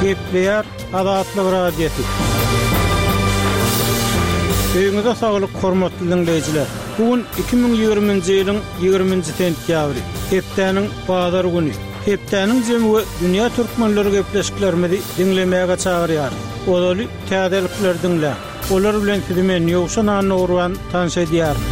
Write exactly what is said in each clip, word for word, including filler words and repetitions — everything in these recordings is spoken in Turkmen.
Gepleýär Azatlyk Radiosy. Öýüňize saglyk hormatly dinleýjiler. Bu gün iki müň ýigriminji ýylyň ýigriminji sentýabry, hepdäniň bazar güni. Hepdäniň jemi we dünýä türkmenleri gepleşiklerimizi diňlemäge çagyrýar. Ozaly täzelikler diňläň. Olar bilen sizi men Ýowşan Annagurban tanyş edýärin.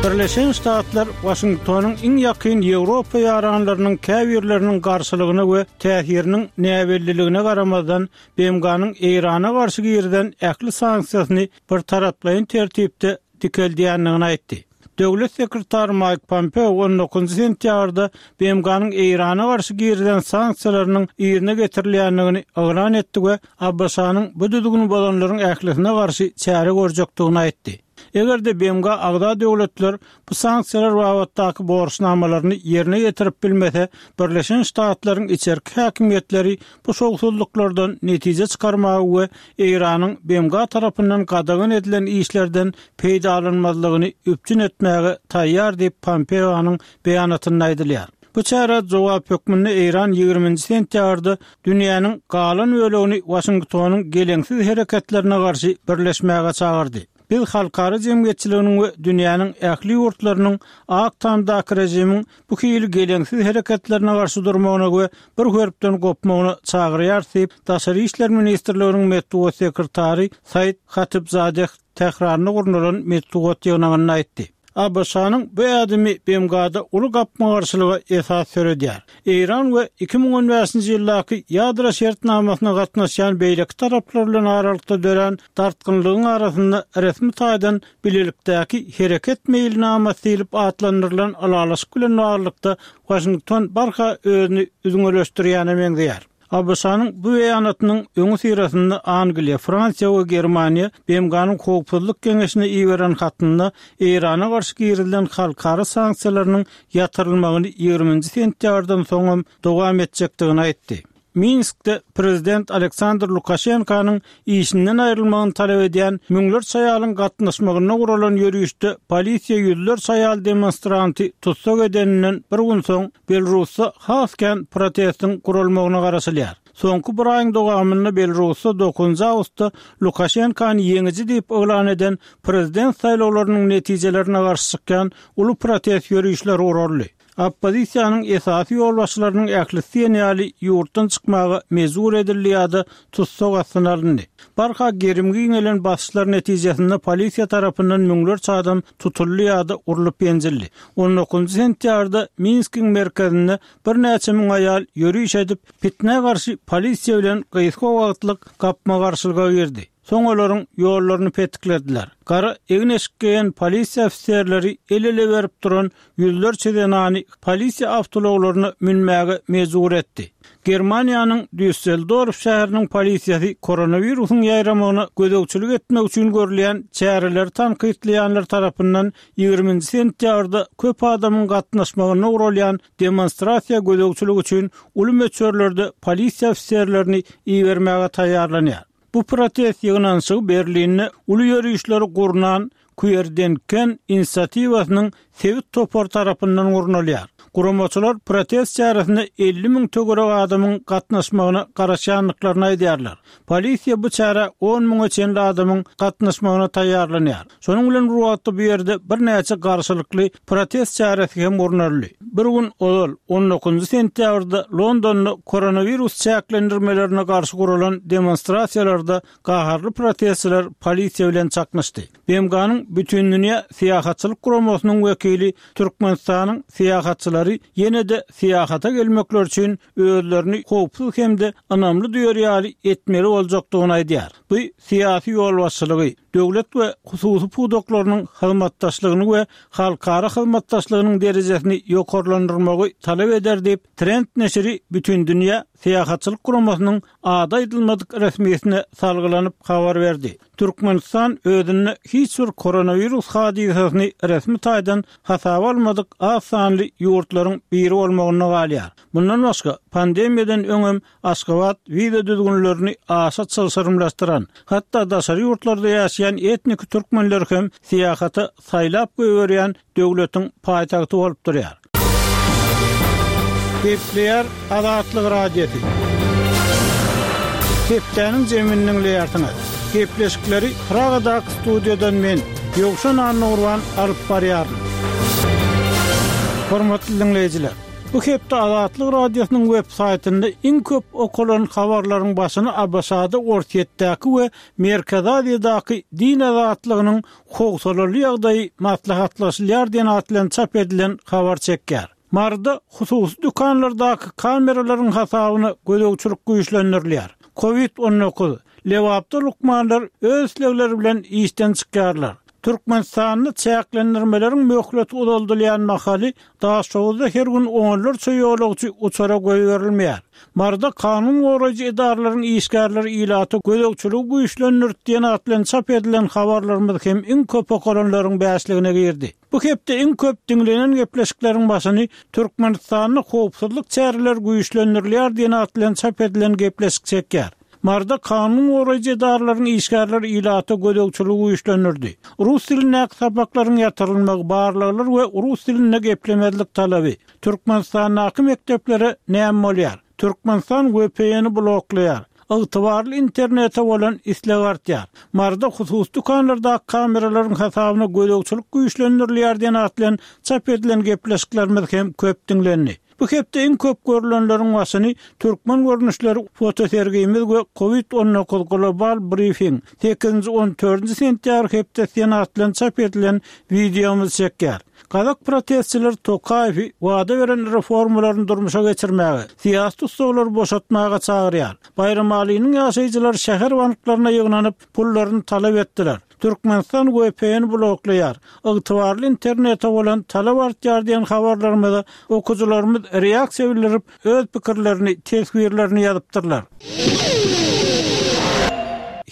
Birleşen Ştatlar Washingtonyň iň ýakyn Ýewropa ýaranlarynyň käbirleriniň garşylygyna we täsiriniň näbelliligine garamazdan B M G-nyň Eýrana garşy girizen ähli sanksiýasyny bir taraplaýyn tertipde dikeldýändigini aýtdy. Döwlet sekretary Mike Pompeo on dokuzynjy sentýabrda B M G-nyň Eýrana garşy girizen sanksiýalarynyň ýerine getirilýändigini yglan etdi we A B Ş-nyň bu düzgüni bozanlaryň ählisine garşy çäre görjekdigini aýtdy. Eger-de B M G agza döwletler bu sanksiýalar babatdaky borçnamalaryny ýerine getirip bilmese, Birleşen Ştatlaryň içerki häkimiýetleri bu şowsuzlyklardan netije çykarmagy we Eýranyň B M G tarapyndan gadagan edilen işlerden peýdalanmazlygyny üpjün etmäge taýýar diýip Pompeonyň beýanatynda aýdylýar. Bu çäre jogap hökmünde Eýran ýigriminji sentýabrda dünýäniň galan bölegini Washingtonyň geleňsiz hereketlerine garşy birleşmäge çagyrdy. Biz halkara jemgyýetçiliginiň we dünýäniň ähli ýurtlarynyň Ak Tamdaky režimiň bu hili geleňsiz hereketlerine garşy durmagyna we bir hörpden gopmagyna çagyrýar diýip, Daşary işler ministrliginiň metbugat sekretary Said Hatibzadeh Tähranda gurnalan metbugat ýygnagynda aýtdy. A B Ş-nyň bu ädimi B M G-da uly gapma-garşylyga esas döredýär. Eýran we iki müň on bäşinji ýyldaky ýadro şertnamasyna gatnaşýan beýleki taraplar bilen aralykda dörän dartgynlygyň arasynda resmi taýdan bilelikdäki hereket meýilnamasy diýlip atlandyrylan ylalaşyk bilen baglylykda Washington barha özüni üzňeleşdirýäne meňzeýär. A B Ş-nyň bu beýanatynyň öňi syrasynda Angliýa, Fransiýa we Germaniýa B M G-nyň howpsuzlyk geňeşine iberen hatynda Eýrana garşy girizilen halkara sanksiýalarynyň ýatyrylmagyny ýigriminji sentýabrdan soňam dowam etjekdigini aýtdy. Minskde prezident Aleksandr Lukaşenkanyň işinden aýrylmagyny talap edýän müňlerçe aýalyň gatnaşmagynda guralan ýörüşde polisiýa ýüzlerçe aýal demonstranty tussag edeninden bir gün soň Belarusda has kän protestiň guralmagyna garaşylýar. Soňky bir aýyň dowamynda Belarusda dokuzynjy awgustda Lukaşenkany ýeňiji diýip yglan eden prezident saýlawlarynyň netijelerine garşy çykýan uly protest ýörüşleri guraldy. Oppozisiýanyň esasy ýolbaşçylarynyň ählisi diýen ýaly ýurtdan çykmaga mejbur edildi ýa-da tussag astyna alyndy. Barha gerim giňelen basyşlar netijesinde polisiýa tarapyndan müňlerçe adam tutuldy ýa-da urlup ýenjildi. on dokuzynjy sentýabrda Minskiň merkezinde birnäçe müň aýal ýörüş edip, fitnä garşy polisiýa bilen gysga wagtlyk gapma-garşylyga girdi. Soň olaryň ýollaryny petiklediler. Gara egin-eşik geýen polisiýa ofiserleri el-ele berip duran ýüzlerçe zenany polisiýa awtoulaglaryna münmäge mejbur etdi. Germaniýanyň Düsseldorf şäheriniň polisiýasy koronawirusyň ýaýramagyna gözegçilik etmek üçin görülýän çäreleri tankytlaýanlar tarapyndan ýigriminji sentýabrda köp adamyň gatnaşmagynda guralýan demonstrasiýa gözegçilik üçin uly möçberlerde polisiýa ofiserlerini ibermäge taýýarlanýar. Bu protest ýygnanyşygy Berlinde uly ýörüşleri gurnan Querdenken inisiatiwasynyň sebit topar tarapyndan gurnalýar. Guramaçylar protest çäresine elli müň töwerek adamyň gatnaşmagyna garaşýandyklaryny aýdýarlar. Polisiýa bu çärä on müňe çenli adamyň gatnaşmagyna taýýarlanýar. Şonuň bilen bir wagtda bu ýerde birnäçe garşylykly protest çäresi hem gurnaldy. Bir gün ozal on dokuzynjy sentýabrda Londonda koronawirus çäklendirmelerine garşy guralan demonstrasiýalarda gaharly protestçiler polisiýa bilen çaknyşdy. B M G-nyň Bütindünýä Syýahatçylyk Guramasynyň wekili Türkmenistanyň syýahatçylary ýene-de syýahata gelmekler üçin özlerini howpsuz hem-de ynamly duýar ýaly etmeli boljakdygyny aýdýar. Bu syýasy ýolbaşçylygy, döwlet we hususy pudaklarynyň hyzmatdaşlygyny we halkara hyzmatdaşlygynyň derejesini ýokarlandyrmagy talap eder diýip, Trend neşiri Bütindünýä Syýahatçylyk Guramasynyň ady aýdylmadyk resmiýetine salgylanyp habar berdi. Türkmenistan özünde hiç bir koronawirus hadysasyny resmi taýdan hasaba almadyk az sanly ýurtlaryň biri bolmagyna galýar. Bundan başga pandemiýadan öňem Aşgabat wiza düzgünlerini aşa çylşyrymlaşdyran, hatda daşary ýurtlarda ýaşaýan etnik türkmenler hem syýahata saýlap goýberýän döwletiň paýtagty bolup durýar. Gepleýär Azatlyk Radiosy. Hepdäniň jemini diňleýärsiňiz. Gepleşikleri Pragadaky studiýadan men, Ýowşan Annagurban alyp barýaryn. Hormatly diňleýjiler, bu hepde Azatlyk Radiosynyň web saýtynda iň köp okalan habarlaryň başyny ABŞ-da, Orsýetdäki we Merkezi Aziýadaky din azatlygynyň howsalaly ýagdaýy maslahatlaşylýar diýen at bilen çap edilen habar çekýär. Maryda hususy dükanlardaky kameralaryň hasabyna gözegçilik güýçlendirilýär. Covid on dokuz, Lebapda lukmanlar öz islegleri bilen işden çykýarlar. Türkmenistanda çäklendirmeleriň möhleti uzaldylýan mahaly Daşoguzda her gün onlarça ýolagçy uçara goýberilmeýär. Maryda kanun goraýjy edaralaryň işgärleri ilaty gözegçiligi güýçlendirdi diýen at bilen çap edilen habarlarymyz hem iň köp okalanlaryň bäşligine girdi. Bu hepde iň köp diňlenen gepleşikleriň başyny Türkmenistanda howpsuzlyk çäreleri güýçlendirilýär diýen at bilen çap edilen gepleşik çekýär. Maryda kanun goraýjy edaralaryň işgärleri ilaty gözegçiligi güýçlendirdi. Rus dilindäki sapaklaryň ýatyrylmagy, barlaglar we rus dilinde geplemezlik talaby. Türkmenistandaky mekdeplere näme bolýar? Türkmenistan V P N-i bloklaýar. Ygtybarly internete bolan isleg artýar. Maryda hususy dükanlardaky kameralaryň hasabyna gözegçilik güýçlendirilýär diýen at bilen çap edilen gepleşiklerimiz hem köp diňlendi. Bu hepde iň köp görülenleriň başyny türkmen görnüşleri fotosergimiz we Covid on dokuz global briefing sekizinji on dördünji sentýabr hepdesi diýen at bilen çap edilen wideomyz çekýär. Gazak protestçiler Tokaýewi wada beren reformalaryny durmuşa geçirmäge, syýasy tutsaglary boşatmaga çagyrýar. Baýramalynyň ýaşaýjylary şäher banklaryna ýygnanyp, pullaryny talap etdiler. Türkmenistan V P N bloklaýar. Ygtybarly internete bolan talap artýar diýen habarlarymyza okyjylarymyz reaksiýa bildirip, öz pikirlerini, teswirlerini ýazypdyrlar.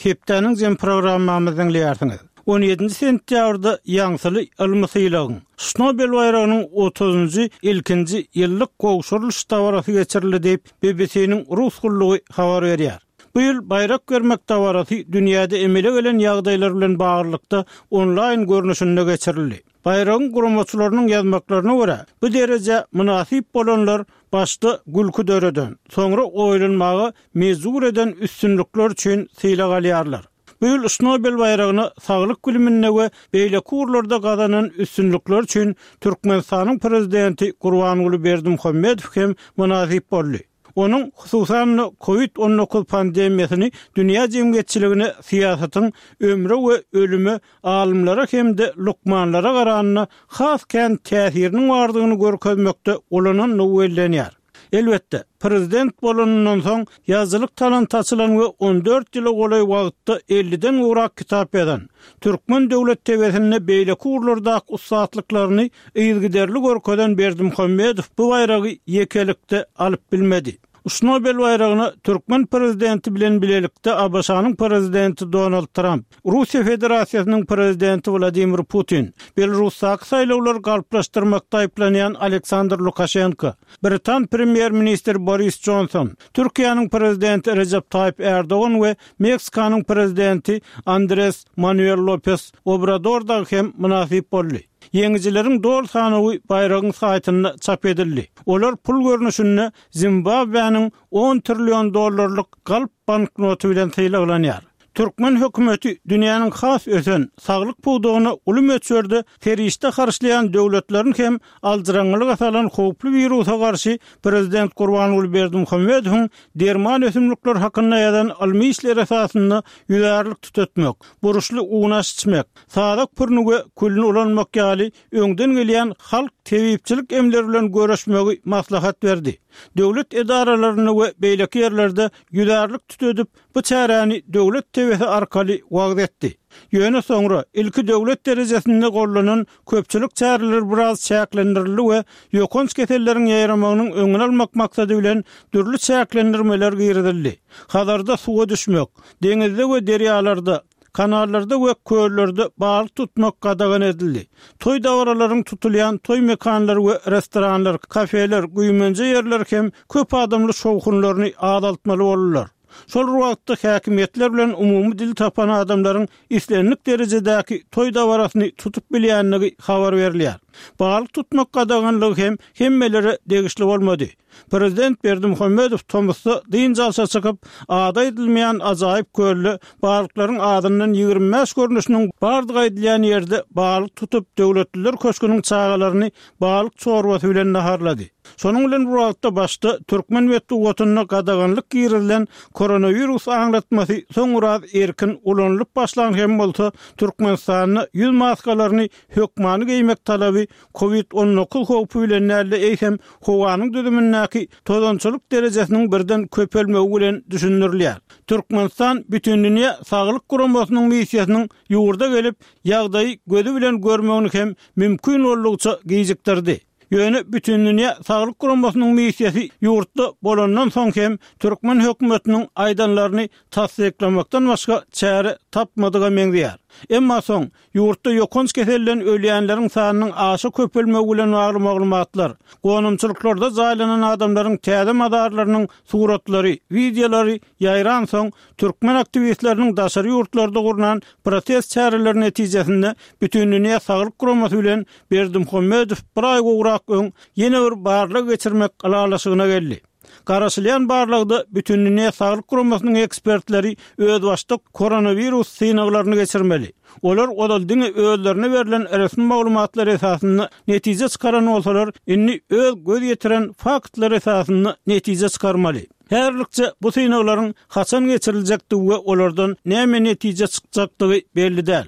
Hepdäniň jem programmamyzy diňleýärsiňiz. on ýedinji sentýabrda ýaňsyly ylmy sylagyň Şnobel baýragynyň otuzynjy ilkinji ýyllyk gowşurylyş dabarasy geçirildi diýip B B C-niň rus gullugy habar berýär. Bu ýyl baýrak bermek dabarasy dünýäde emele gelen ýagdaýlar bilen baglylykda onlaýn görnüşinde geçirildi. Baýragyň guramaçylarynyň ýazmaklaryna görä, bu dereje mynasyp bolanlar başda gülki döreden, soňra oýlanmaga mejbur eden üstünlikler üçin sylag alýarlar. Bu ýyl Şnobel baýragyna saglyk biliminde we beýleki ugurlarda gazanan üstünlikler üçin Türkmenistanyň prezidenti Gurbanguly Berdimuhamedow hem mynasyp boldy. Onuň hususan-da Covid on dokuz pandemiýasyny dünýä jemgyýetçiligine syýasatyň ömre we ölüme alymlara hem-de lukmanlara garanda has kän täsiriniň bardygyny görkezmekde ulanandygy bellenýär. Elbetde, prezident bolanyndan soň ýazyjylyk talanty açylan we on dört ýyla golaý wagtda elliden gowrak kitap ýazan, Türkmen döwlet tebesinde beýleki ugurlardaky ussatlyklaryny yzygiderli görkezen Berdimuhamedow bu baýragy ýekelikde alyp bilmedi. Şnobel baýragyna Türkmen prezidenti bilen bilelikde A B Ş-nyň prezidenti Donald Trump, Russiýa Federasiýasynyň prezidenti Wladimir Putin, Belarusdaky saýlawlary galplaşdyrmakda aýyplanýan Aleksandr Lukaşenko, Britan premýer-ministri Boris Johnson, Türkiýäniň prezidenti Recep Tayyip Erdogan we Meksikanyň prezidenti Andres Manuel Lopez Obrador dagy hem mynasyp boldy. Ýeňijileriň doly sanawy baýragyň saýtynda çap edildi. Olar pul görnüşinde Zimbabwe'niň on trillion dollarlyk galp banknoty bilen sylaglanýar. Türkmen hökümeti dünýäniň has ösen saglyk pudagyna uly möçberde serişde harçlaýan döwletlerin hem aljyraňňylyga salan howply wirusa garşy prezident Gurbanguly Berdimuhamedowyň derman ösümlikler hakynda ýazan ylmy işler esasynda ýüzärlik tutatmak, buruşly unaş içmek, sazak pürni we külüni ulanmak ýaly öňden gelýän halk tebipçilik emleri bilen görüşmegi maslahat berdi. Döwlet edaralarynda we beýleki ýerlerde ýüzärlik tutedip, bu çäräni döwlet tebesi arkaly wagz etdi. Ýöne soňra ilki döwlet derejesinde gollanan köpçülik çäreleri biraz çäklendirildi we ýokanç keselleriň ýaýramagynyň öňüni almak maksady bilen dürli çäklendirmeler girizildi. Hazarda suwa düşmek, deňizde we derýalarda, kanallarda we köllerde balyk tutmak gadagan edildi. Toý dabaralaryň tutulýan toý mekanlary we restoranlar, kafeler, güýmenje ýerler hem köp adamly şowhunlaryny azaltmaly boldular. Şol wagtda häkimiýetler bilen umumy dil tapan adamlaryň islendik derejedäki toý dabarasyny tutup bilýändigi habar berilýär. Balyk tutmak gadaganlygy hem hemmelere degişli bolmady. Prezident Berdimuhamedow tomusda dynç alşa çykyp, ady aýdylmaýan ajaýyp kölde balyklaryň azyndan ýigrimi bäş görnüşiniň bardygy aýdylýan ýerde balyk tutup, Döwletliler köşgüniň çagalaryny balyk çorbasy bilen naharlady. Şonuň bilen bir wagtda başda türkmen metbugatynda gadaganlyk girizilen koronawirus aňlatmasy soň biraz erkin ulanylyp başlan hem bolsa, Türkmenistanda ýüz maskalaryny hökmany geýmek talaby Covid on dokuz howpy bilen däl-de, eýsem, howanyň düzümindäki tozançylyk derejesiniň birden köpelmegi bilen düşündirilýär. Türkmenistan Bütindünýä Saglyk Guramasynyň missiýasynyň ýurda gelip, ýagdaýy gözi bilen görmegini hem mümkin boldugyça gijikdirdi. Ýöne Bütindünýä Saglyk Guramasynyň missiýasy ýurtda bolandan soň hem türkmen hökümetiniň aýdanlaryny tassyklamakdan başga çäre tapmadyga meňzeýär. Emma soň ýurtda ýokanç keselden ölýänleriň sanynyň aşa köpelmegi bilen bagly maglumatlar, gonamçylyklarda jaýlanan adamlaryň täze mazarlarynyň suratlary, wideolary ýaýran soň, türkmen aktiwistleriniň daşary ýurtlarda gurnan protest çäreleri netijesinde Bütindünýä Saglyk Guramasy bilen Berdimuhamedow bir aý gowrak öň ýene bir barlag geçirmek ylalaşygyna geldi. Garaşylýan barlagda Bütindünýä Saglyk Guramasynyň ekspertleri özbaşdak koronawirus synaglaryny geçirmeli. Olar ozal diňe özlerine berlen resmi maglumatlar esasynda netije çykaran bolsalar, indi öz göz ýetiren faktlar esasynda netije çykarmaly. Häzirlikçe bu synaglaryň haçan geçiriljekdigi we olardan näme netije çykjakdygy belli däl.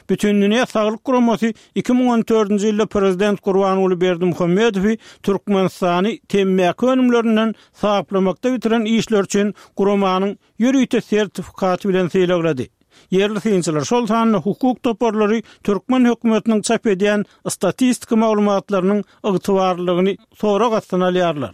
Bütindünýä Saglyk Guramasy iki müň on dördünji ýylda prezident Gurbanguly Berdimuhamedowy Türkmenistany temmäki önümlerinden saplamakda bitiren işleri üçin guramanyň ýörite sertifikaty bilen sylaglady. Ýerli synçylar, şol sanda hukuk toparlary türkmen hökümetiniň çap edýän statistika maglumatlarynyň ygtybarlylygyny sorag astyna alýarlar.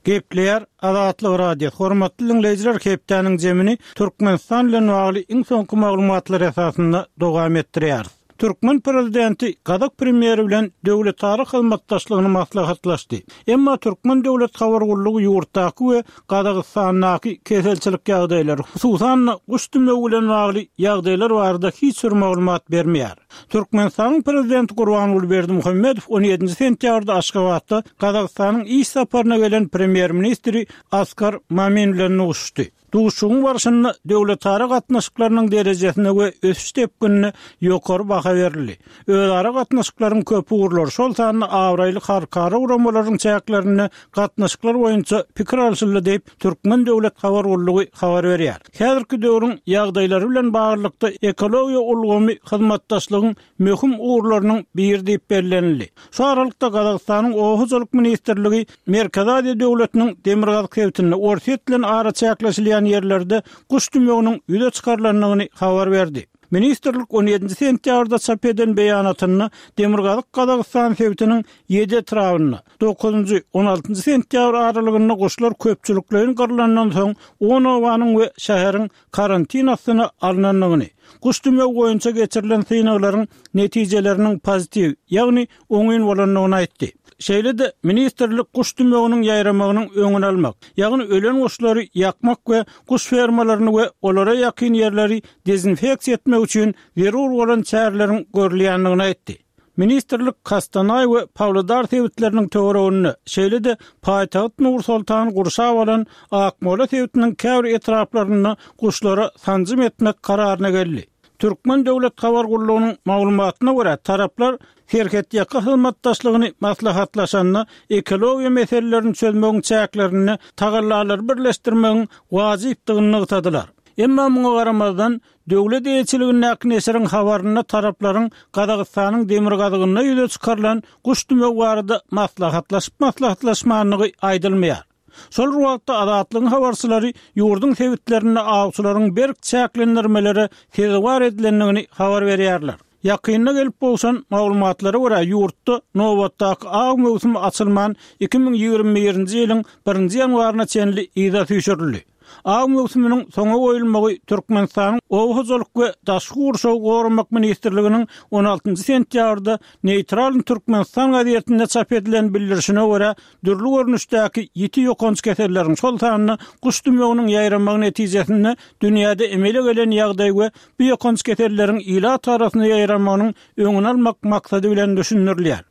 Gepleýär Azatlyk Radiosy. Hormatly diňleýjiler, hepdäniň jemini Türkmenistan bilen bagly iň soňky maglumatlar esasynda dowam etdirýäris. Türkmen prezidenti gazak premýeri bilen döwletara hyzmatdaşlygyny maslahatlaşdy. Emma Türkmen döwlet habar gullugy ýurtdaky we Gazagystandaky keselçilik ýagdaýlary, hususan-da guş dümegi bilen bagly ýagdaýlar barada hiç bir maglumat bermeýär. Türkmenistanyň prezidenti Gurbanguly Berdimuhamedow on ýedinji sentýabrda Aşgabatda Gazagystanyň iş saparyna gelen premýer-ministri Askar Mamin bilen duşuşdy. Duşuşygyň barşynda döwletara gatnaşyklarynyň derejesine we ösüş depginine ýokary baha berildi. Özara gatnaşyklaryň köp ugurlary, şol sanda abraýly halkara guramalaryň çäklerinde gatnaşyklar boýunça pikir alşyldy diýip, Türkmen döwlet habar gullugy habar berýär. Häzirki döwrüň ýagdaýlary bilen baglylykda ekologiýa ulgamy hyzmatdaşlygyň möhüm ugurlarynyň biri diýip bellenildi. Şu aralykda Gazagystanyň Oba hojalyk ministrligi Merkezi Aziýa döwletiniň demirgazyk sebitinde Orsýet bilen araçäkleşilýän ýerlerde guş dümewiniň ýüze çykarylandygyny habar berdi. Ministrlik on ýedinji sentýabrda çap eden beýanatynda Demirgazyk Gazagystan sebitiniň ýedi etrabynda dokuzynjy, on altynjy sentýabr aralygynda guşlar köpçülikleýin gyrlandan soň on obanyň we şäheriň karantin astyna alnandygyny, guş dümewi boýunça geçirilen synaglaryň netijeleriniň pozitiw, ýagny oňyn bolandygyny aýtdy. Şeýle-de ministrlik guş dümewiniň ýaýramagynyň öňüni almak, ýagny ölen guşlary ýakmak we guş fermalaryny we olara ýakyn ýerleri dezinfeksiýa etmek üçin zerur bolan çäreleriň görülýändigini aýtdy. Ministrlik Kostanaý we Pawlodar sebitleriniň töwereginde, şeýle-de paýtagt Nur-Sultany gurşap alan Akmola sebitiniň käbir etraplarynda guşlara sanjym etmek kararyna geldi. Türkmen döwlet habar gullugynyň maglumatyna görä, taraplar serhetýaka hyzmatdaşlygyny maslahatlaşanda ekologiýa meselelerini çözmegiň çäklerinde tagallalary birleşdirmegiň wajypdygyny nygtadylar. Emma muňa garamazdan, döwlet eýeçiligindäki neşiriň habarynda taraplaryň Gazagystanyň demirgazygynda ýüze çykarylan guş dümewi barada maslahatlaşyp-maslahatlaşmandygy aýdylmaýar. Şol bir wagtda Azatlygyň habarçylary ýurduň sebitlerinde awçylaryň berk çäklendirmelere sezewar edilendigini habar berýärler. Ýakynda gelip gowşan maglumatlara görä, ýurtda nobatdaky aw möwsümi açylman iki müň ýigrimi birinji ýylyň birinji ýanwaryna çenli yza süýşürildi. Aw möwsüminiň soňa goýulmagy Türkmenistanyň Oba hojalyk we daşky gurşawy goramak ministrliginiň on altynjy sentýabrda Neýtral Türkmenistan gazetinde çap edilen bildirişine görä, dürli görnüşdäki ýiti ýokanç keselleriň, şol sanda guş dümewiniň ýaýramagy netijesinde dünýäde emele gelen ýagdaý we bu ýokanç keselleriň ilat arasynda ýaýramagynyň öňüni almak maksady bilen düşündirilýär.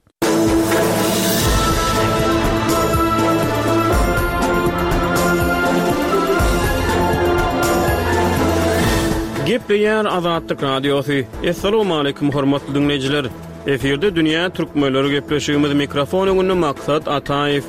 Gepleýär Azatlyk Radiosy. Assalamualaikum hormatly dinleýjiler. Efirde Dünýä Türkmenleri gepleşigimiz mikrofon öňünde Maksat Ataýew.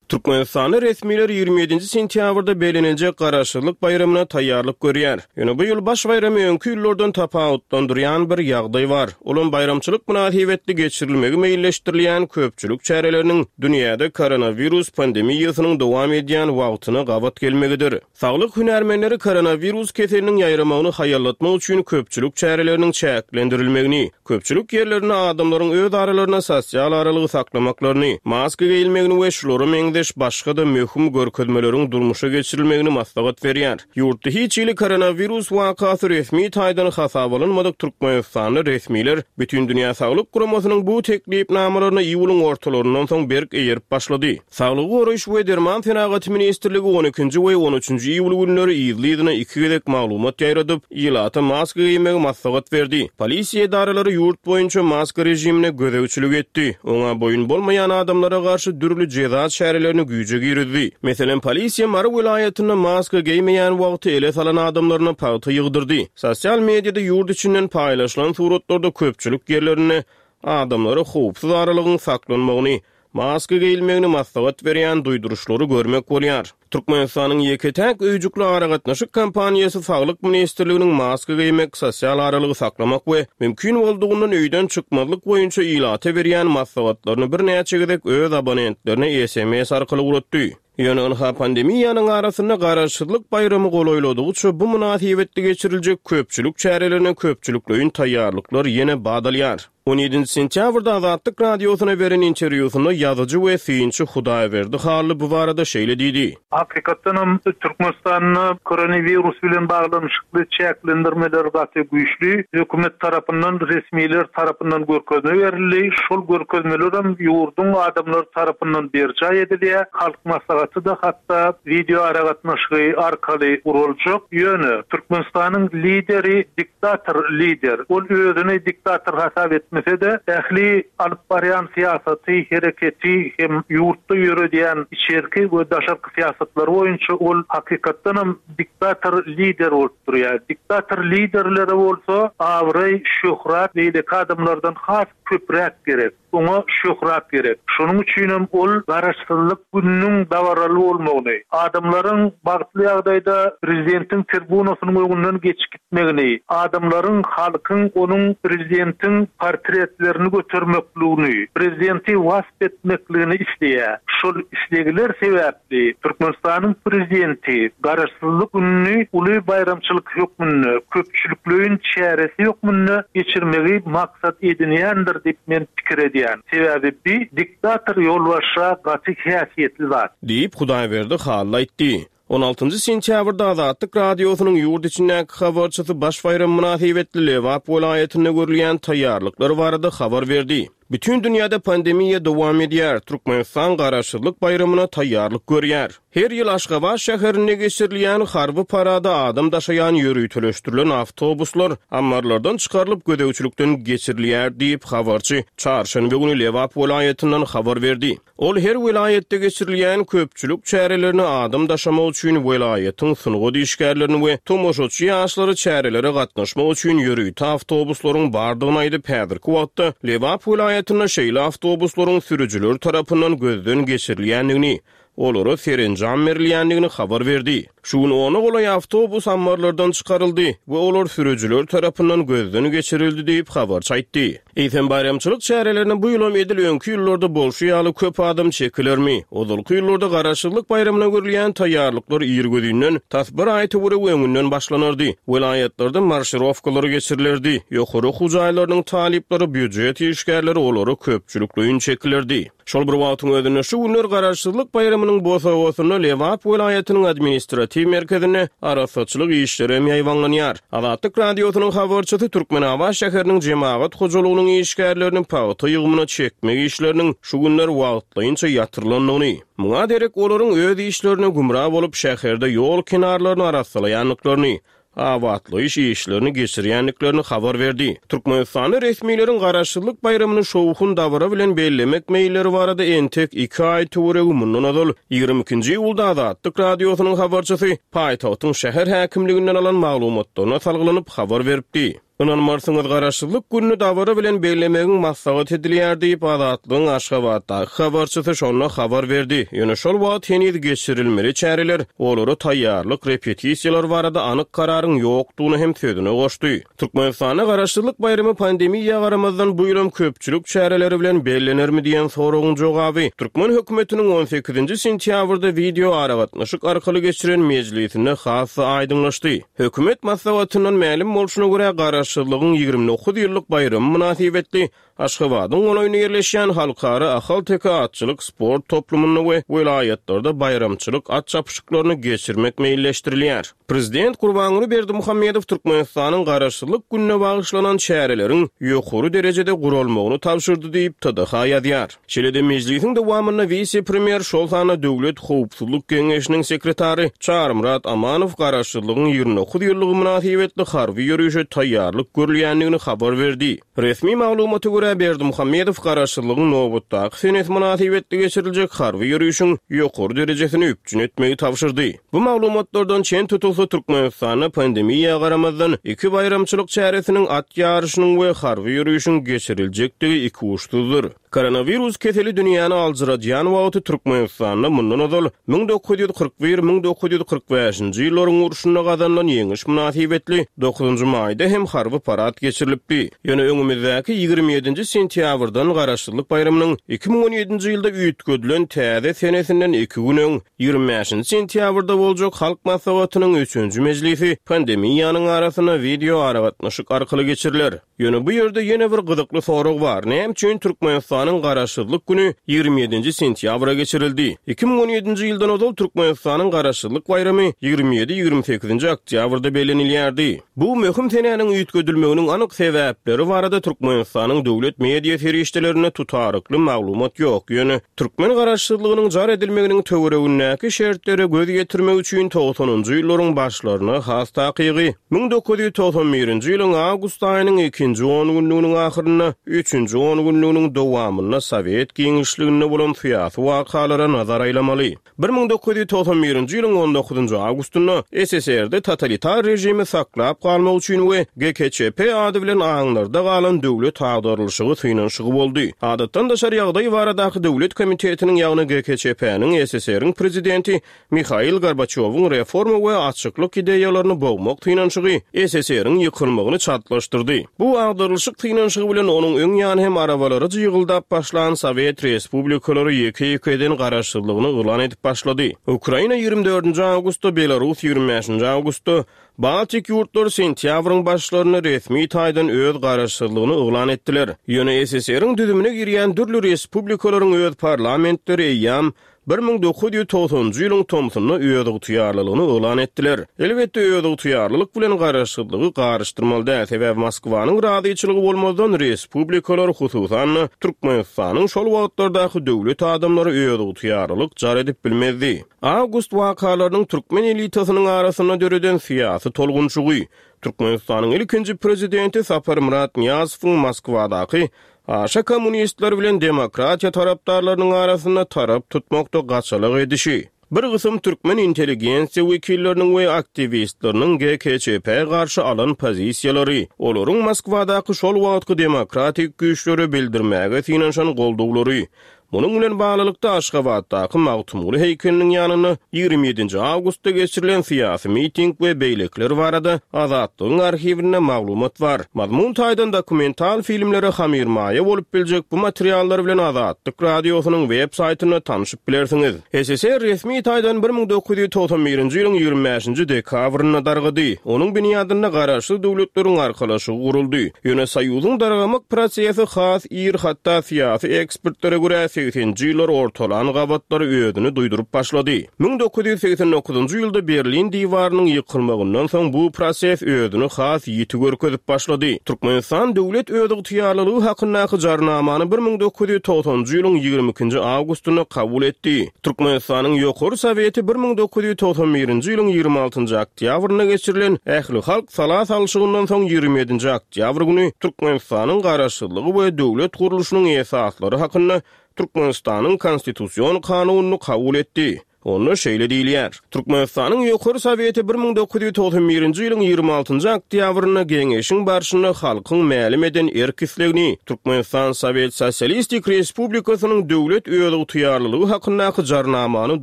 Türkmenistanda resmiler ýigrimi ýedinji sentýabrda bellenenjek Garaşsyzlyk baýramyna taýýarlyk görýär. Ýöne bu ýyl baş baýramy öňki ýyllardan tapawutlandyrýan bir ýagdaý bar. Olam baýramçylyk mynasybetli geçirilmegi meýilleşdirilýän köpçülik çäreleriniň dünýäde koronawirus pandemiýasynyň dowam edýän wagtyna gabat gelmegidir. Saglyk hünärmenleri koronawirus keseliniň ýaýramagyny haýallatmak üçin köpçülik çäreleriniň çäklendirilmegini, köpçülik ýerlerinde adamlaryň öz aralarynda sosial aralygy saklamaklaryny, maska geýilmegini we şulara meňzeş başga-da möhüm görkezmeleriň durmuşa geçirilmegini maslahat berýär. Ýurtda hiç hili koronawirus wakasy resmi taýdan hasaba alynmadyk Türkmenistanda resmiler Bütindünýä Saglyk Guramasynyň bu teklipnamalaryna iýulyň ortalaryndan soň berk eýerip başlady. Saglygy goraýyş we derman senagaty ministrligi on ikinji we on üçünji iýul günleri yzly-yzyna iki gezek maglumat ýaýradyp, ilata maska geýmegi maslahat berdi. Polisiýa edaralary ýurt boýunça maska režimine gözegçilik etdi. Oňa boýun bolmaýan adamlara garşy dürli jeza çärelerini güýje girizdi. Meselem, polisiýa Mary welaýatynda maska geýmeýän wagty ele salan adamlaryna pagta ýygdyrdy. Sosial mediada ýurt içinden paýlaşylan suratlarda köpçülik ýerlerinde adamlara howpsuz aralygyň saklanmagyny, maska geýilmegini maslahat berýän duýduryşlary görmek bolýar. Türkmenistanyň ýeke-täk öýjükli aragatnaşyk kompaniýasy Saglyk ministrliginiň maska geýmek, sosial aralygy saklamak we mümkin boldugyndan öýden çykmazlyk boýunça ilata berýän maslahatlaryny birnäçe gezek öz abonentlerine S M S arkaly ulatdy. Ýöne ynha pandemiýanyň arasynda garaşsyzlyk baýramy golaýladygyça bu mynasybetli geçiriljek köpçülik çärelerine köpçülikleýin taýýarlyklar ýene badalýar. on ýedinji sentýabrda Azatlyk Radiosyna beren interwýusynda ýazyjy we synçy Hudaýberdi Hally bu barada şeýle diýdi. Hakykatdanam Türkmenistanda koronawirus bilen baglanyşykly çäklendirmeler gaty güýçli. Hökümet tarapyndan, resmiler tarapyndan görkezme berildi. Şol görkezmeler hem ýurduň adamlary tarapyndan berjaý edilýär. Halk maslahaty da hatda video aragatnaşygy arkaly guruljak. Ýöne Türkmenistanyň lideri diktator lider. Ol özüni diktator hasap etmese de ähli alyp barýan syýasaty, hereketi hem ýurtda ýöredýän içerki we daşarky syýasatlar boýunça ol hakykatdanam diktator lider bolup durýar. Diktator liderlere bolsa abraý, şöhrat beýleki adamlardan has köpräk gerek. Oňa şöhrat gerek. Şonuň üçin hem ol garaşsyzlyk gününiň dabaraly bolmagyny, adamlaryň bagtly ýagdaýda prezidentiň tribunasynyň öňünden geçip gitmegini, adamlaryň, halkyň onuň prezidentiň portretlerini götermekligini, prezidenti wasp etmekligini isleýär. Şol islegler sebäpli Türkmenistanyň prezidenti garaşsyzlyk gününi uly baýramçylyk hökmünde, köpçülikleýin çäresi hökmünde geçirmegi maksat edinýändir diýip men pikir edýän. Sebäbi bi diktator ýolbaşça gaty häsiýetli zat. Diýip Hudaýberdi Hally aýtdy. on altynjy sentýabrda Azatlyk Radiosynyň ýurt içindäki habarçysy baş baýram mynasybetli Lebap welaýatynda görülýän taýýarlyklar barada habar berdi. Bütün dünýäde pandemiýa dowam edýär. Türkmenistan garaşsyzlyk baýramyna taýýarlyk görýär. Her ýyl Aşgabat şäherinde geçirilýän harby parada adam daşaýan ýöriteleşdirilen awtobuslar ammarlardan çykarylyp gözegçilikden geçirilýär diýip habarçy çarşenbe güni Lebap welaýatyndan habar berdi. Ol her welaýatda geçirilýän köpçülik çärelerine adam daşamak üçin welaýatyň sungat işgärlerini we tomaşaçy ýaşlary çärelere gatnaşmak üçin ýörite awtobuslaryň bardygyny aýdyp, häzirki wagtda Lebap welaýatynda şeýle awtobuslaryň sürüjileri tarapyndan gözden geçirilýändigini, olara serenjam berilýändigini habar berdi. Şu gün ona golaý awtobus ammarlardan çykaryldy we olar sürüjiler tarapyndan gözden geçirildi diýip habarçy aýtdy. Eýsem baýramçylyk çärelerine bu ýylam edil öňki ýyllarda bolşy ýaly köp adam çekilermi? Ozalky ýyllarda Garaşsyzlyk baýramyna görülýän taýýarlyklar irgözinden tas bir aý töweregi öňünden başlanardy. Welaýatlarda marşirowkalar geçirilerdi. Ýokary okuw jaýlarynyň talyplary, býujet işgärleri olara köpçülikleýin çekilerdi. Şol bir wagtyň özünde şu günler Garaşsyzlyk baýramynyň bosagasynda Lebap welaýatynyň administratiw merkezinde arassaçylyk işleri hem ýaýbaňlanýar. Azatlyk Radiosynyň habarçysy Türkmenabat şäheriniň jemagat hojalygynyň işgärlerini pagta ýygymyna çekmek işleriniň şu günler wagtlaýynça ýatyrylandygyny, muňa derek olaryň öz işlerine gümra bolup şäherde ýol kenarlaryny arassalaýandyklaryny, abatlaýyş işlerini geçirýändiklerini habar berdi. Türkmenistanda resmileriň Garaşsyzlyk baýramyny şowhun dabara bilen bellemek meýilleri barada entek iki aý töweregi mundan ozal ýigrimi ikinji iýulda Azatlyk Radiosynyň habarçysy paýtagtyň şäher häkimliginden alan maglumatlaryna salgylanyp habar beripdi. Ynanmarsyňyz, Garaşsyzlyk gününi dabara bilen bellemegiň maslahat edilýär diýip Azatlygyň Aşgabatdaky habarçysy şonda habar berdi. Ýöne şol wagt heniz geçirilmeli çäreler, olara taýýarlyk repetisiýalar barada anyk kararyň ýokdugyny hem sözüne goşdy. Türkmenistanda Garaşsyzlyk baýramy pandemiýa garamazdan bu ýylam köpçülik çäreleri bilen bellenermi diýen soragyň jogaby türkmen hökümetiniň on sekizinji sentýabrda wideo aragatnaşyk arkaly geçiren mejlisinde has-da aýdyňlaşdy. Hökümet maslahatyndan mälim bolşuna görä Garaşsyzlygyň ýigrimi dokuz ýyllyk baýramy mynasybetli Aşgabadyň golaýynda ýerleşýän Halkara Ahalteke atçylyk sport toplumynda we welaýatlarda baýramçylyk at çapyşyklaryny geçirmek meýilleşdirilýär. Prezident Gurbanguly Berdimuhamedow Türkmenistanyň Garaşsyzlyk gününe bagyşlanan çäreleriň ýokary derejede guralmagyny tabşyrdy diýip T D H ýazýar. Şeýle-de mejlisiň dowamynda wise-premýer, şol sanda Döwlet howpsuzlyk geňeşiniň sekretary Çarymyrat Amanow Garaşsyzlygyň ýigrimi dokuz ýyllygy mynasybetli harby ýörişe taýýarlyk görülýändigini habar berdi. Resmi maglumata görä Berdimuhamedow Garaşsyzlygyň nobatdaky senesi mynasybetli geçiriljek harby ýörişiň ýokary derejesini üpjün etmegi tabşyrdy. Bu maglumatlardan çen tutulsa Türkmenistanda pandemiýa garamazdan iki baýramçylyk çäresiniň at ýaryşynyň we harby ýörişiň geçiriljekdigi iki uçsuzdyr. Koronawirus keseli dünýäni aljyradýan wagty Türkmenistanda mundan ozal müň dokuz ýüz kyrk bir müň dokuz ýüz kyrk bäşinji ýyllaryň urşunda gazanylan ýeňiş mynasybetli dokuzynjy maýda hem harby parad geçirilipdi. Ýöne öňümizdäki ýigrimi ýedinji sentýabrdan Garaşsyzlyk baýramynyň iki müň on ýedinji ýylda üýtgedilen täze senesinden iki gün öň ýigrimi bäşinji sentýabrda boljak Halk Maslahatynyň üçünji mejlisi pandemiýanyň arasynda wideo aragatnaşyk arkaly geçiriler. Ýöne bu ýerde ýene bir gyzykly sorag bar. Näme üçin Türkmenistanyň Garaşsyzlyk günü ýigrimi ýedinji sentýabra geçirildi? Iki müň on ýedinji ýyldan ozal Türkmenistanyň Garaşsyzlyk baýramy ýigrimi ýedi ýigrimi sekizinji oktýabrda bellenilýärdi. Bu möhüm senäniň üýtgedilmeginiň anyk sebäpleri barada Türkmenistanyň döwlet media serişdelerinde tutarykly maglumat ýok. Ýöne türkmen garaşsyzlygynyň jar edilmeginiň töweregindäki şertlere göz ýetirmek üçin togsanynjy ýyllaryň başlaryna has takygy müň dokuz ýüz togsan birinji ýylyň awgust aýynyň ikinji on günlüginiň ahyrynda üçünji on günlüginiň dowamynda Sowet giňişliginde bolan syýasy wakalara nazar aýlamaly. Bir müň dokuz ýüz togsan birinji ýylyň on dokuzynjy awgustynda S S R-de totalitar režimi saklap galmak üçin we G K Ç P ady bilen aňlarda galan döwlet agdarylyşygy synanyşygy boldy. Adatdan daşary ýagdaý baradaky döwlet komitetiniň ýagny G K Ç P-niň S S R-iň prezidenti Mihail Gorbaçýowyň reforma we açyklyk ideýalaryny bogmak synanyşygy S S R-iň ýykylmagyny çatlaşdyrdy. Bu agdarylyşyk synanyşygy bilen onuň öň ýany hem arabalary jygyldap başlan Sowet Respublikalary ýeke-ýekeden garaşsyzlygyny yglan edip başlady. Ukraina ýigrimi dördünji awgustda, Belarus ýigrimi bäşinji awgustda, Baltik ýurtlary sentýabryň başlarynda resmi taýdan öz garaşsyzlygyny yglan etdiler. Ýöne S S R-iň düzümine girýän dürli respublikalaryň öz parlamentleri eýýäm bir müň dokuz ýüz togsanynjy ýylyň tomsunda öz ygtyýarlylygyny yglan etdiler. Elbetde öz ygtyýarlylyk bilen garaşsyzlygy garyşdyrmaly däl, sebäbi Moskwanyň razyçylygy bolmazdan respublikalar, hususan-da Türkmenistanyň şol wagtlardaky döwlet adamlary öz ygtyýarlylyk jar edip bilmezdi. Awgust wakalarynyň türkmen elitasynyň arasynda döreden syýasy tolgunçygy, Türkmenistanyň ilkinji prezidenti Saparmyrat Nyýazowyň Moskwadaky aşa kommunistler bilen demokratiýa tarapdarlarynyň arasynda tarap tutmakda gaçalyk edişi, bir gysym türkmen intelligensiýa wekilleriniň we aktiwistleriniň G K Ç P garşy alan pozisiýalary, olaryň Moskwadaky şol wagtky demokratik güýçlere bildirmäge synanyşan goldawlary, Munuň bilen baglylykda Aşgabatdaky Magtymguly heýkeliniň ýanynda ýigrimi ýedinji awgustda geçirilen syýasy miting we beýlekiler barada Azatlygyň arhiwinde maglumat bar. Mazmun taýdan dokumental filmlere hamyrmaýa bolup biljek bu materiallar bilen Azatlyk Radiosynyň web saýtynda tanşyp bilersiňiz. S S S R resmi taýdan bir müň dokuz ýüz togsan birinji ýylyň ýigrimi bäşinji dekabrynda dargady. Onuň binýadynda Garaşsyz Döwletleriň Arkalaşygy guruldy. Ýöne Soýuzyň dargamak prosesi has ir, hatda syýasy ekspertlere görä segseninji ýyllar ortalan gabatlary özüni duýduryp başlady. Müň dokuz ýüz segsen dokuzynjy ýylda Berlin diwarynyň ýykylmagyndan soň bu proses özüni has ýiti görkezip başlady. Türkmenistan döwlet özygtyýarlylygy hakyndaky jarnamany bir müň dokuz ýüz togsanynjy ýylyň ýigrimi ikinji awgustynda kabul etdi. Türkmenistanyň Ýokary Soweti bir müň dokuz ýüz togsan birinji ýylyň ýigrimi altynjy oktýabrynda geçirilen ählihalk sala salşygyndan soň ýigrimi ýedinji oktýabr güni Türkmenistanyň Garaşsyzlygy we döwlet gurluşynyň esaslary hakynda Türkmenistanyň Konstitusion kanunyny kabul etdi. Onda şeýle diýilýär: Türkmenistanyň Ýokary Soweti bir müň dokuz ýüz togsan birinji ýylyň ýigrimi altynjy oktýabrynda geňeşiň barşynda halkyň mälim eden erk-islegini Türkmenistan Sowet Sosialistik Respublikasynyň döwlet özygtyýarlylygy hakyndaky jarnamany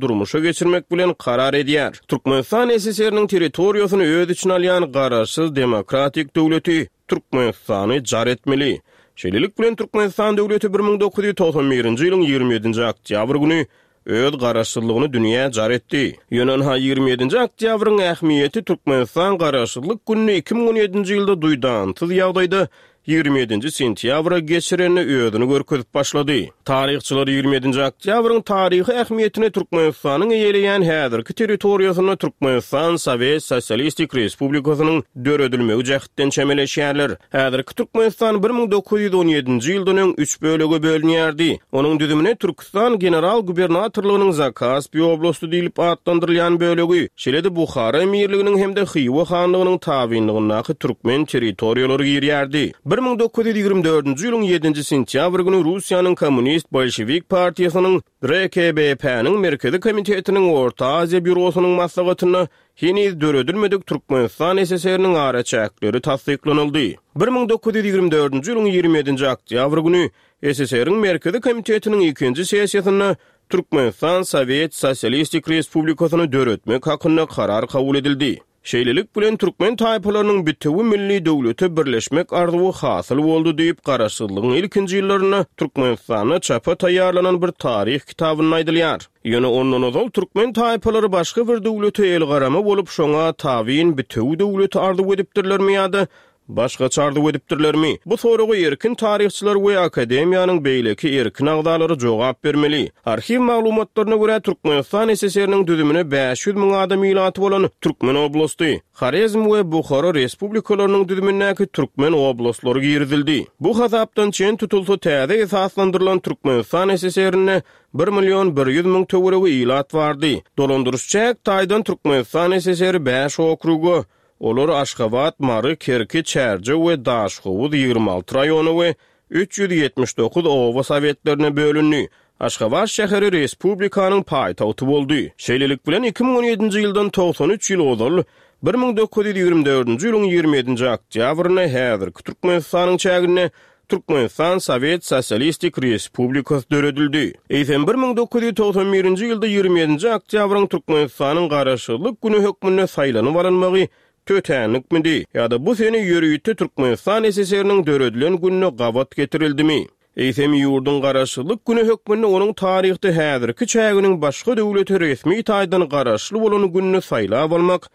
durmuşa geçirmek bilen karar edýär. Türkmenistan S S R-niň territoriýasyny öz içine alýan garaşsyz demokratik döwleti Türkmenistany jar etmeli. Şeýlelik bilen Türkmenistan döwleti bir müň dokuz ýüz togsan birinji ýylyň ýigrimi ýedinji oktýabr güni öz garaşsyzlygyny dünýä jar etdi. Ýöne ynha ýigrimi ýedinji oktýabryň ähmiýeti Türkmenistan Garaşsyzlyk gününi iki müň on ýedinji ýylda duýdansyz ýagdaýda ýigrimi ýedinji sentýabra geçirende özüni görkezip başlady. Taryhçylar ýigrimi ýedinji oktýabryň taryhy ähmiýetini Türkmenistanyň eýeleýän häzirki territoriýasynda Türkmenistan Sowet Sosialistik Respublikasynyň döredilmegi jähtden çemeleşýärler. Häzirki Türkmenistan bir müň dokuz ýüz on ýedinji ýyldan öň üç bölege bölünýärdi. Onuň düzümine Türküstan General Gubernatorlygynyň Zakaspi oblasty diýlip atlandyrylýan bölegi, şeýle-de Buhara emirliginiň hem-de Hywa hanlygynyň tabynlygyndaky türkmen territoriýalary girýärdi. Bir müň dokuz ýüz ýigrimi dördünji ýylyň ýedinji sentýabr güni Russiýanyň Kommunist Bolşewik partiýasynyň R K B P-niň Merkezi Komitetiniň Orta Aziýa býurosynyň maslahatynda heniz döredilmedik Türkmenistan S S R-niň araçäkleri tassyklanyldy. Bir müň dokuz ýüz ýigrimi dördünji ýylyň ýigrimi ýedinji oktýabr güni S S R-niň Merkezi Komitetiniň ikinji sessiýasynda Türkmenistan Sowet Sosialistik Respublikasyny döretmek hakynda karar kabul edildi. Şeýlelik bilen türkmen taýpalarynyň bitewi milli döwlete birleşmek arzuwy hasyl boldy diýip, garaşsyzlygyň ilkinji ýyllarynda Türkmenistanda çapa taýýarlanan bir taryh kitabynda aýdylýar. Ýöne ondan ozal türkmen taýpalary başga bir döwlete el garama bolup, şoňa tabyn bitewi döwleti arzuw edipdirlermi ýa-da başgaça arzuw edipdirlermi? Bu soraga erkin taryhçylar we akademiýanyň beýleki erkin agzalary jogap bermeli. Arhiw maglumatlaryna görä Türkmenistan S S R-niň düzümine bäş ýüz müň adam ilaty bolan Türkmen oblasty, Horezm we Buhara respublikalarynyň düzümindäki Türkmen oblastlary girizildi. Bu hasapdan çen tutulsa täze esaslandyrylan Türkmenistan S S R-inde bir million bir ýüz müň töweregi ilat bardy. Dolandyryş çäk taýdan Türkmenistan S S R bäş okruga, olar Aşgabat, Mary, Kerki, Çärjew we Daşhowuz ýigrimi alty raýony we üç ýüz ýetmiş dokuz oba sowetlerine bölündi. Aşgabat şäheri respublikanyň paýtagty boldy. Şeýlelik bilen iki müň on ýedinji ýyldan togsan üç ýyl ozal bir müň dokuz ýüz ýigrimi dördünji ýylyň ýigrimi ýedinji oktýabrynda häzirki Türkmenistanyň çäginde Türkmenistan Sowet Sosialistik Respublikasy döredildi. Eýsem bir müň dokuz ýüz togsan birinji ýylda ýigrimi ýedinji oktýabryň Türkmenistanyň Garaşsyzlyk güni hökmünde saýlanyp alynmagy tötänlikmidi ýa-da bu sene ýörite Türkmenistan S S R-niň döredilen gününe gabat getirildimi? Eýsem ýurduň Garaşsyzlyk güni hökmünde onuň taryhda häzirki çäginiň başga döwlete resmi taýdan garaşly bolan gününi saýlap almak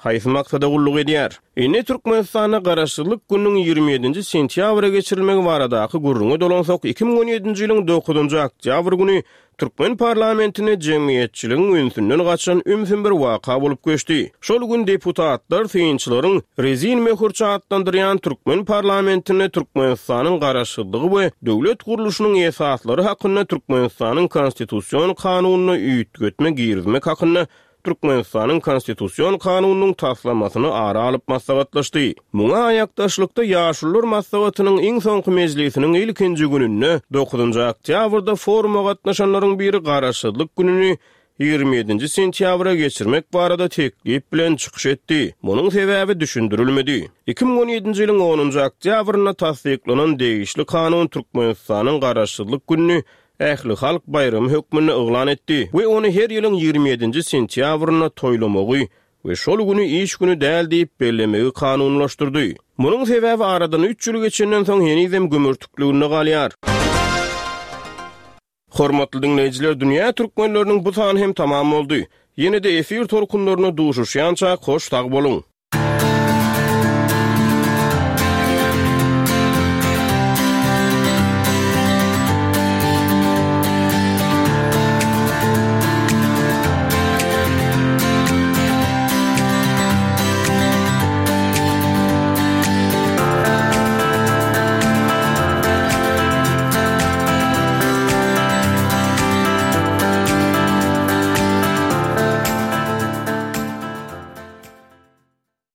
haýsy maksada gulluk edýär? Indi Türkmenistanda Garaşsyzlyk gününiň ýigrimi ýedinji sentýabra geçirilmegi baradaky gürrüňe dolansak, iki müň on ýedinji ýylyň dokuzynjy oktýabr güni Türkmen parlamentine jemgyýetçiligiň ünsünden gaçan ümsüm bir waka bolup geçdi. Şol gün deputatlar synçylaryň rezin möhürçe atlandyrýan Türkmen parlamentine Türkmenistanyň garaşsyzlygy we döwlet gurluşynyň esaslary hakynda Türkmenistanyň konstitusion kanunyna üýtgetme girizmek hakynda Türkmenistanyň konstitusion kanunynyň taslamasyny ara alyp maslahatlaşdy. Muňa aýakdaşlykda Ýaşulular maslahatynyň iň soňky mejlisiniň ilkinji gününde dokuzynjy oktýabrda foruma gatnaşanlaryň biri Garaşsyzlyk gününi ýigrimi ýedinji sentýabra geçirmek barada teklip bilen çykyş etdi. Munuň sebäbi düşündirilmedi. Iki müň on ýedinji ýylyň onunjy oktýabrynda tassyklanan degişli kanun Türkmenistanyň Garaşsyzlyk gününi ählihalk baýramy hökmünde yglan etdi we ony her ýylyň ýigrimi ýedinji sentýabrynda toýlamagy we şol güni iş güni däl diýip bellemegi kanunylaşdyrdy. Munuň sebäbi aradan üç ýyl geçenden soň henizem gümürtikliginde galýar. Hormatly diňleýjiler, Dünýä türkmenleriniň bu sany hem tamam boldy. Ýene-de efir tolkunlarynda duşuşýançak hoş sag boluň!